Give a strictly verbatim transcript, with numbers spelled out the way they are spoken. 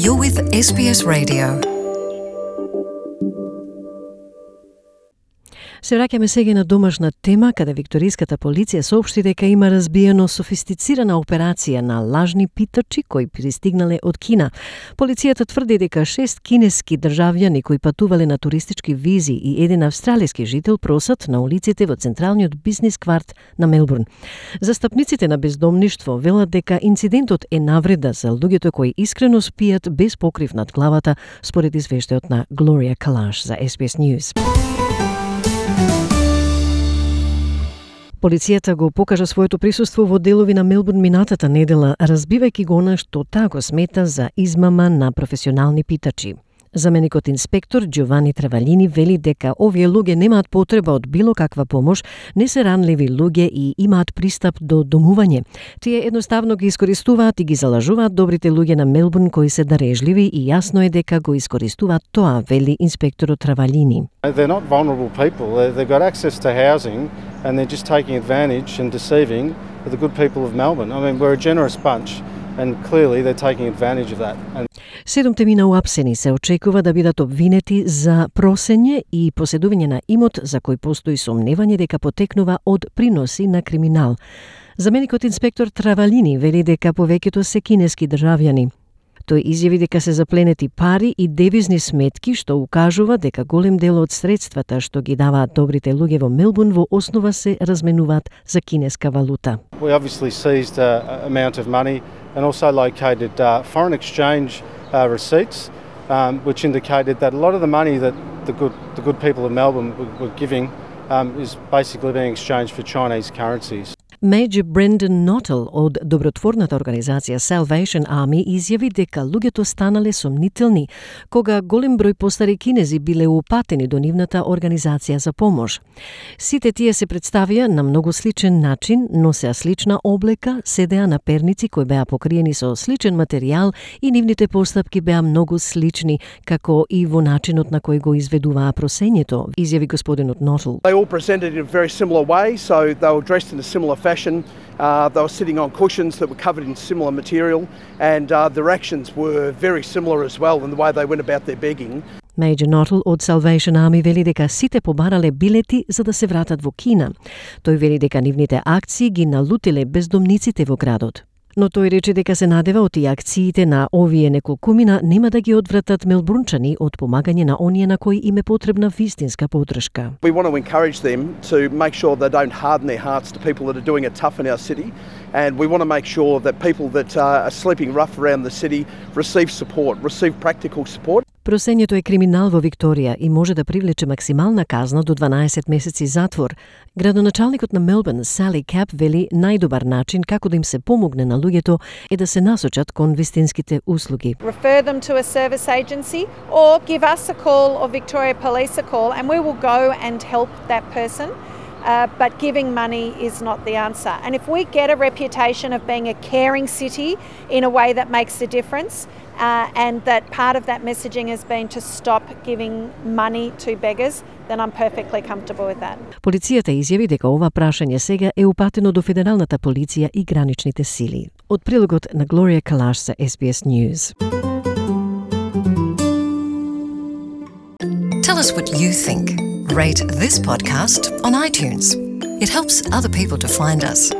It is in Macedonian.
You're with S B S Radio. Се враќаме сега на домашна тема, каде викториската полиција соопшти дека има разбиено софистицирана операција на лажни питачи кои пристигнале од Кина. Полицијата тврди дека шест кинески државјани кои патувале на туристички визи и еден австралиски жител просат на улиците во централниот бизнис кварт на Мелбурн. Застапниците на бездомништво велат дека инцидентот е навреда за луѓето кои искрено спијат без покрив над главата, според извештајот на Глорија Калаш за S B S News. Полицијата го покажа своето присуство во делови на Мелбурн минатата недела, разбивајќи го она што таа го смета за измама на професионални питачи. Заменикот инспектор Джовани Травалини вели дека овие луѓе немаат потреба од било каква помош, не се ранливи луѓе и имаат пристап до домување. Тие едноставно ги искористуваат и ги залажуваат добрите луѓе на Мелбурн кои се дарежливи и јасно е дека го искористуваат тоа, вели инспекторот Травалини. They're not vulnerable people. They've got access to housing and they're just taking advantage and deceiving the good people of Melbourne. I mean, we're a generous bunch and clearly they're taking advantage of that. And Седумте мина уапсени се очекува да бидат обвинети за просење и поседување на имот за кој постои сомневање дека потекнува од приноси на криминал. Заменикот инспектор Травалини вели дека повеќето се кинески државјани. Тој изјави дека се запленети пари и девизни сметки, што укажува дека голем дел од средствата што ги даваат добрите луѓе во Мелбурн во основа се разменуваат за кинеска валута. we obviously seized an amount of money and also located uh, foreign exchange uh, receipts, um, which indicated that a lot of the money that the good, the good people of Melbourne were, were giving um, is basically being exchanged for Chinese currencies. Меѓу Брендон Нотел од добротворната организација Salvation Army изјави дека луѓето станале сомнителни кога голем број постари кинези биле упатени до нивната организација за помош. Сите тие се представија на многу сличен начин, носеа слична облека, седеа на перници кои беа покриени со сличен материјал и нивните постапки беа многу слични, како и во начинот на кој го изведуваа просењето, изјави господинот Нотел. They all presented in a very similar way, so they were dressed in a similar fashion. Uh, they were sitting on cushions that were covered in similar material, and uh, their actions were very similar as well in the way they went about their begging. Меѓу Нотел од Salvation Army вели дека сите побарале билети за да се вратат во Кина. Тој вели дека нивните акции ги налутиле бездомниците во градот. Но тој рече дека се надева од и акциите на овие неколкумина нема да ги одвратат мелбурнчани од помагање на оние на кои им е потребна вистинска поддршка. We want to encourage them to make sure they don't harden their hearts to people that are doing it tough in our city, and we want to make sure that people that are sleeping rough around the city receive support, receive practical support. Просењето е криминал во Викторија и може да привлече максимална казна до дванаесет месеци затвор. Градоначалникот на Мелбурн, Сали Кап, вели најдобар начин како да им се помогне на луѓето е да се насочат кон вистинските услуги. Refer them to a service agency or give us a call or Victoria Police a call and we will go and help that person. Uh, but giving money is not the answer. And if we get a reputation of being a caring city in a way that makes a difference, uh, and that part of that messaging has been to stop giving money to beggars, then I'm perfectly comfortable with that. Полицијата изјави дека ова прашање сега е упатено до федералната полиција и граничните сили. Од прилогот на Глорија Калаш за S B S News. Tell us what you think. Rate this podcast on iTunes. It helps other people to find us.